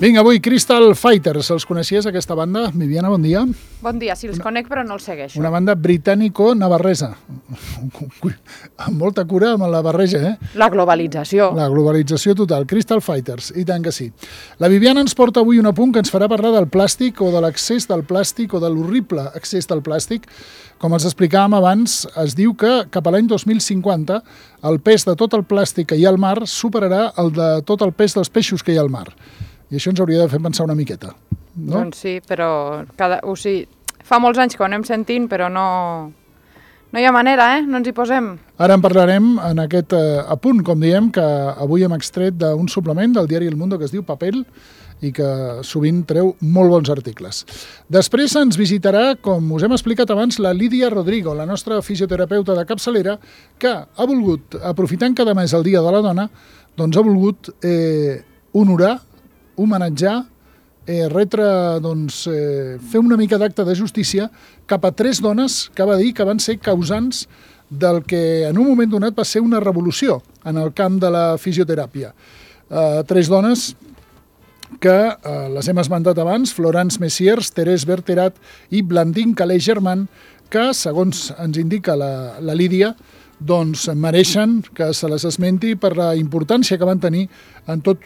Vinga, avui Crystal Fighters. Els coneixies, aquesta banda? Viviana, bon dia. Bon dia, sí, els conec però no els segueixo. Una banda britànico-navarresa. Amb molta cura amb la barreja, eh? La globalització. La globalització total. Crystal Fighters, i tant que sí. La Viviana ens porta avui un apunt que ens farà parlar del plàstic o de l'accés del plàstic o de l'horrible accés del plàstic. Com els explicàvem abans, es diu que cap a l'any 2050 el pes de tot el plàstic que hi ha al mar superarà el de tot el pes dels peixos que hi ha al mar. I això ens hauria de fer pensar una miqueta, no? Doncs sí, però fa molts anys que ho anem sentint, però no hi ha manera, no ens hi posem. Ara en parlarem en aquest apunt, com diem, que avui hem extret d'un suplement del diari El Mundo que es diu Papel i que sovint treu molt bons articles. Després ens visitarà, com us hem explicat abans, la Lídia Rodrigo, la nostra fisioterapeuta de capçalera, que ha volgut, aprofitant cada mes el Dia de la Dona, doncs ha volgut honorar, homenatjar, fer una mica d'acte de justícia cap a 3 dones que va dir que van ser causants del que en un moment donat va ser una revolució en el camp de la fisioteràpia. 3 dones que les hem esmentat abans, Florence Messiers, Thérèse Bertherat i Blandine Calais-Germain, que, segons ens indica la Lídia, doncs mereixen que se les esmenti per la importància que van tenir en tot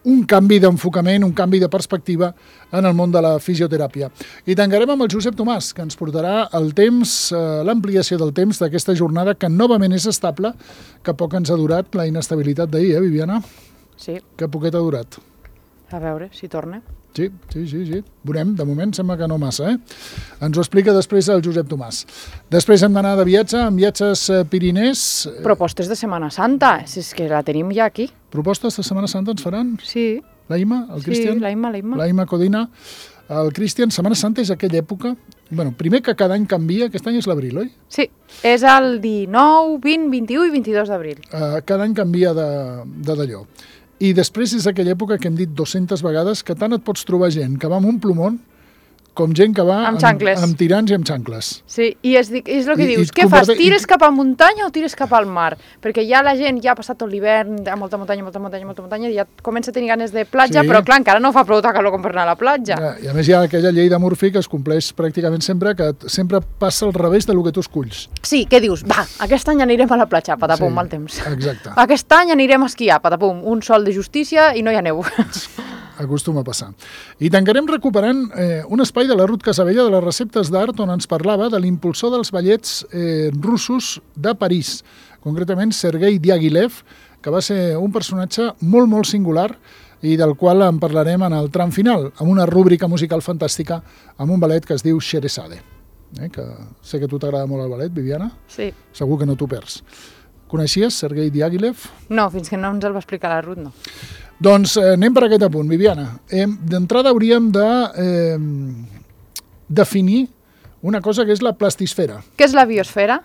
un canvi d'enfocament, un canvi de perspectiva en el món de la fisioteràpia. I tancarem amb el Josep Tomàs, que ens portarà el temps, l'ampliació del temps d'aquesta jornada, que novament és estable, que poc ens ha durat la inestabilitat d'ahir, Viviana? Sí. Que poquet ha durat. A veure si torna. Sí. Veurem, de moment sembla que no massa, Ens ho explica després el Josep Tomàs. Després hem d'anar de viatge, amb Viatges Pirinès. Propostes de Setmana Santa, si és que la tenim ja aquí. Propostes de Setmana Santa ens faran? Sí. La Ima, el Cristian? Sí, la Ima. La Ima Codina. El Cristian, Setmana Santa és aquella època... Bueno, primer que cada any canvia, aquest any és l'abril, oi? Sí, és el 19, 20, 21 i 22 d'abril. Cada any canvia d'allò. I després és aquella època que hem dit 200 vegades que tant et pots trobar gent que va amb un plomón com gent que va amb tirants i amb xancles. Sí, i és el que dius. Què fas? Tires cap a muntanya o tires cap al mar? Perquè ja la gent ja ha passat tot l'hivern, molta muntanya, i ja comença a tenir ganes de platja, però clar, encara no fa prou calor com per anar a la platja. I a més hi ha aquella llei de Murphy que es compleix pràcticament sempre, que sempre passa al revés del que tu esculls. Sí, què dius? Va, aquest any anirem a la platja, patapum, mal temps. Exacte. Aquest any anirem a esquiar, patapum, un sol de justícia i no hi ha neu. Acostuma a passar. I tancarem recuperant un espai de la Ruth Casabella de les receptes d'art on ens parlava de l'impulsor dels ballets russos de París, concretament Sergei Diaghilev, que va ser un personatge molt, molt singular i del qual en parlarem en el tram final, amb una rúbrica musical fantàstica, amb un ballet que es diu Scheherazade. Que sé que a tu t'agrada molt el ballet, Viviana? Sí. Segur que no t'ho perds. Coneixies Sergei Diaghilev? No, fins que no ens el va explicar la Ruth, no. Doncs anem per aquest apunt, Viviana. D'entrada hauríem de definir una cosa que és la plastisfera. Què és la biosfera?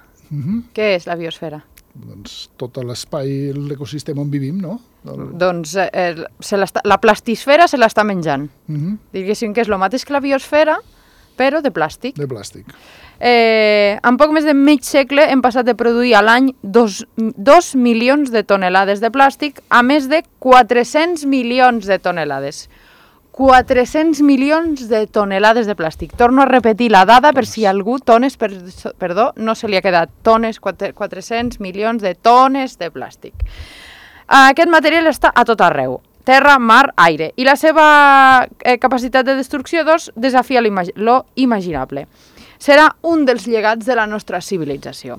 Què és la biosfera? Doncs tot l'espai, l'ecosistema on vivim, no? Doncs la plastisfera se l'està menjant. Diguéssim que és el mateix que la biosfera, però de plàstic. De plàstic. En poc més de mig segle hem passat de produir a l'any 2 milions de tonelades de plàstic a més de 400 milions de tonelades. 400 milions de tonelades de plàstic. Torno a repetir la dada per si algú, no se li ha quedat, 400 milions de tones de plàstic. Aquest material està a tot arreu. Terra, mar, aire. I la seva capacitat de destrucció, desafia lo imaginable. Serà un dels llegats de la nostra civilització.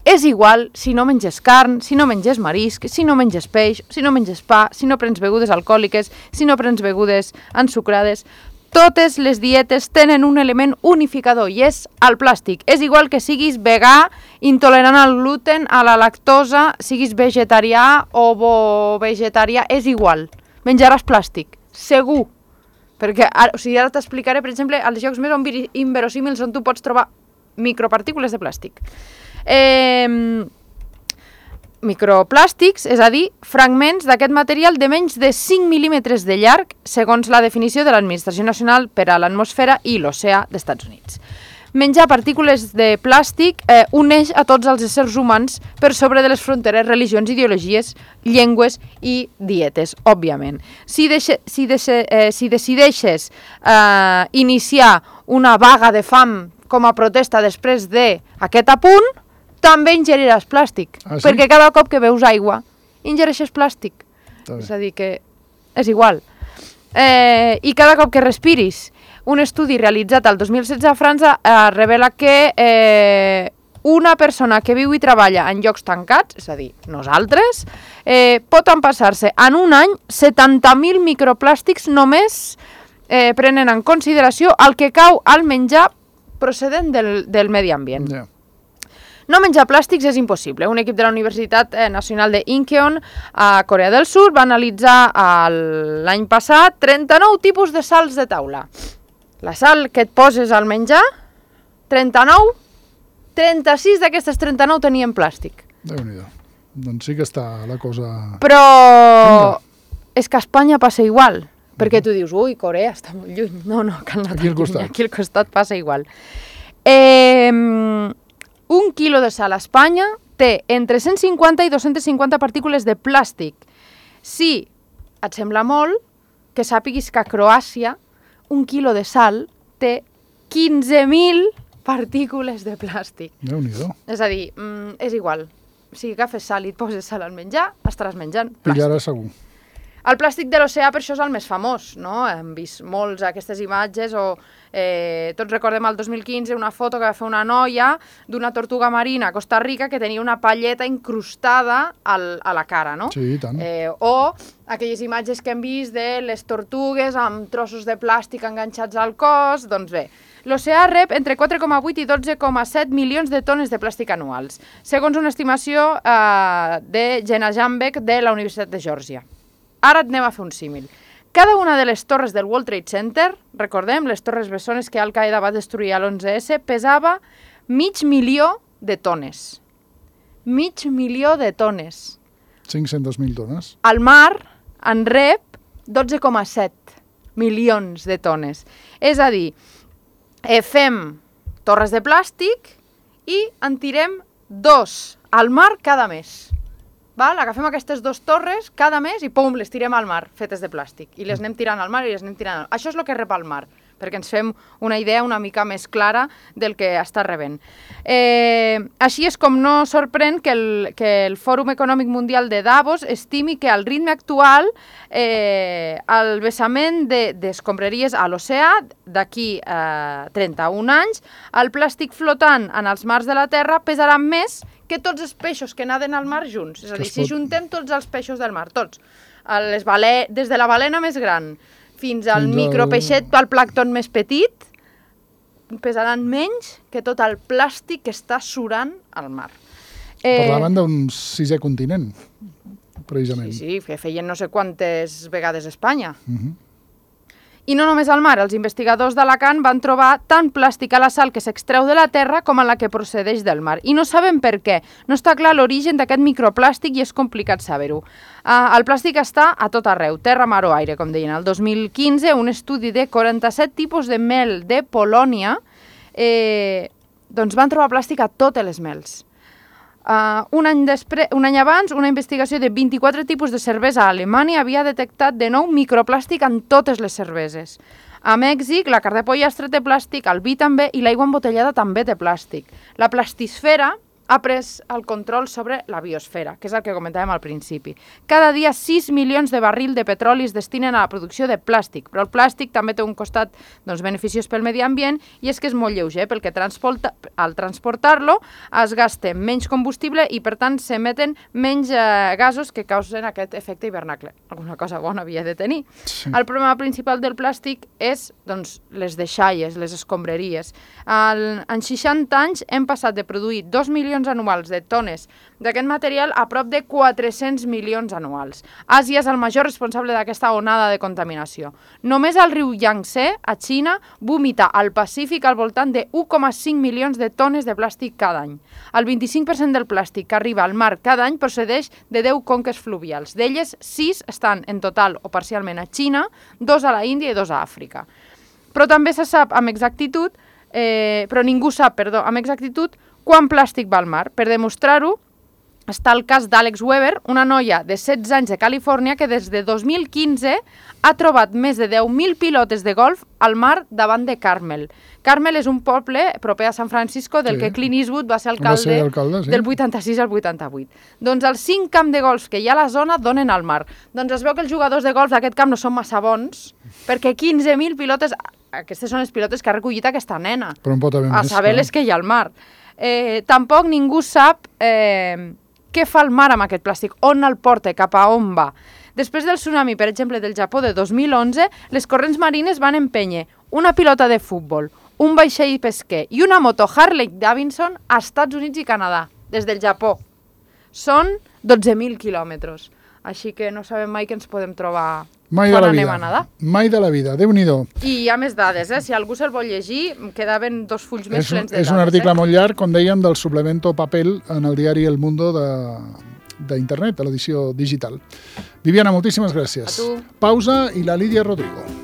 És igual si no menges carn, si no menges marisc, si no menges peix, si no menges pa, si no prens begudes alcohòliques, si no prens begudes ensucrades. Totes les dietes tenen un element unificador i és el plàstic. És igual que siguis vegà, intolerant al gluten, a la lactosa, siguis vegetarià o ovo-vegetarià, és igual. Menjaràs plàstic, segur. Perquè ara t'explicaré, per exemple, els llocs més inverosímils on tu pots trobar micropartícules de plàstic. Microplàstics, és a dir, fragments d'aquest material de menys de 5 mil·límetres de llarg, segons la definició de l'Administració Nacional per a l'Atmosfera i l'Oceà d'Estats Units. menjar partícules de plàstic uneix a tots els éssers humans per sobre de les fronteres, religions, ideologies, llengües i dietes, òbviament. Si decideixes iniciar una vaga de fam com a protesta després d'aquest apunt, també ingeriràs plàstic, perquè cada cop que beus aigua ingereixes plàstic. És a dir, que és igual. I cada cop que respiris, un estudi realitzat el 2016 a França revela que una persona que viu i treballa en llocs tancats, és a dir, nosaltres, pot empassar-se en un any 70.000 microplàstics només prenen en consideració el que cau al menjar procedent del medi ambient. No menjar plàstics és impossible. Un equip de la Universitat Nacional de Incheon a Corea del Sud va analitzar l'any passat 39 tipus de sals de taula. La sal que et poses al menjar, 39, 36 d'aquestes 39 tenien plàstic. Déu-n'hi-do. Doncs sí que està la cosa... Però és que a Espanya passa igual, perquè tu dius, ui, Corea està molt lluny. No, que aquí al costat passa igual. Un quilo de sal a Espanya té entre 150 i 250 partícules de plàstic. Si et sembla molt, que sàpiguis que a Croàcia un quilo de sal té 15.000 partícules de plàstic. Déu-n'hi-do. És a dir, és igual. Si agafes sal i et poses sal al menjar, estaràs menjant plàstic. Pillaràs segur. El plàstic de l'oceà per això és el més famós, no? Hem vist molts aquestes imatges tots recordem el 2015 una foto que va fer una noia d'una tortuga marina a Costa Rica que tenia una palleta incrustada a la cara, no? Sí, i tant. O aquelles imatges que hem vist de les tortugues amb trossos de plàstic enganxats al cos, doncs bé. L'oceà rep entre 4,8 i 12,7 milions de tones de plàstic anuals, segons una estimació de Jenna Jambeck de la Universitat de Geòrgia. Ara anem a fer un símil. Cada una de les torres del World Trade Center, recordem, les torres bessones que Al-Qaeda va destruir a l'11S, pesava 500.000 de tones. 500.000 de tones. 500.000 tones. El mar en rep 12,7 milions de tones. És a dir, fem torres de plàstic i en tirem 2 al mar cada mes. Agafem aquestes 2 torres cada mes i pum, les tirem al mar, fetes de plàstic. I les anem tirant al mar i les anem tirant al mar. Això és el que rep al mar, perquè ens fem una idea una mica més clara del que està rebent. Així és com no sorprèn que el Fòrum Econòmic Mundial de Davos estimi que al ritme actual el vessament d'escombraries a l'oceà d'aquí 31 anys, el plàstic flotant en els mars de la Terra pesarà més que tots els peixos que naden al mar junts. És a dir, si juntem tots els peixos del mar, tots, des de la balena més gran fins al micropeixet, al plàncton més petit, pesaran menys que tot el plàstic que està surant al mar. Parlaven d'un 6è continent, precisament. Sí, que feien no sé quantes vegades a Espanya. I no només al mar, els investigadors d'Alacant van trobar tant plàstic a la sal que s'extreu de la terra com a la que procedeix del mar. I no sabem per què. No està clar l'origen d'aquest microplàstic i és complicat saber-ho. El plàstic està a tot arreu, terra, mar o aire, com deien. El 2015, un estudi de 47 tipus de mel de Polònia van trobar plàstic a totes les mels. Un any abans, una investigació de 24 tipus de cervesa a Alemanya havia detectat de nou microplàstic en totes les cerveses. A Mèxic, la carn de pollastre té plàstic, el vi també i l'aigua embotellada també té plàstic. La plastisfera ha pres el control sobre la biosfera, que és el que comentàvem al principi. Cada dia 6 milions de barrils de petroli es destinen a la producció de plàstic, però el plàstic també té un costat beneficiós pel medi ambient i és que és molt lleuger, perquè al transportar-lo es gasta menys combustible i per tant s'emeten menys gasos que causen aquest efecte hivernacle. Alguna cosa bona havia de tenir. Sí. El problema principal del plàstic és les deixalles, les escombraries. En 60 anys hem passat de produir 2 milions anuals de tones d'aquest material a prop de 400 milions anuals. Àsia és el major responsable d'aquesta onada de contaminació. Només el riu Yangtze, a Xina, vomita al Pacífic al voltant de 1,5 milions de tones de plàstic cada any. El 25% del plàstic que arriba al mar cada any procedeix de 10 conques fluvials. D'elles, 6 estan en total o parcialment a Xina, 2 a la Índia i 2 a Àfrica. Però també se sap amb exactitud però ningú sap, amb exactitud, quant plàstic va al mar. Per demostrar-ho, està el cas d'Alex Weber, una noia de 16 anys de Califòrnia que des de 2015 ha trobat més de 10.000 pilotes de golf al mar davant de Carmel. Carmel és un poble proper a San Francisco del que Clint Eastwood va ser alcalde del 86 al 88. Doncs els 5 camps de golf que hi ha a la zona donen al mar. Doncs es veu que els jugadors de golf d'aquest camp no són massa bons, perquè 15.000 pilotes... Aquestes són les pilotes que ha recollit aquesta nena. Però en pot haver més. A saber les que hi ha al mar. Tampoc ningú sap què fa el mar amb aquest plàstic, on el porta, cap a on va. Després del tsunami, per exemple, del Japó de 2011, les corrents marines van empènyer una pilota de futbol, un vaixell pesquer i una moto Harley Davidson a Estats Units i Canadà, des del Japó. Són 12.000 quilòmetres. Així que no sabem mai que ens podem trobar quan anem a nedar. Mai de la vida, Déu-n'hi-do. I hi ha més dades, si algú se'l vol llegir, quedaven 2 fulls més plens de dades. És un article molt llarg, com dèiem, del suplemento Papel en el diari El Mundo d'internet, de l'edició digital. Viviana, moltíssimes gràcies. A tu. Pausa i la Lídia Rodrigo.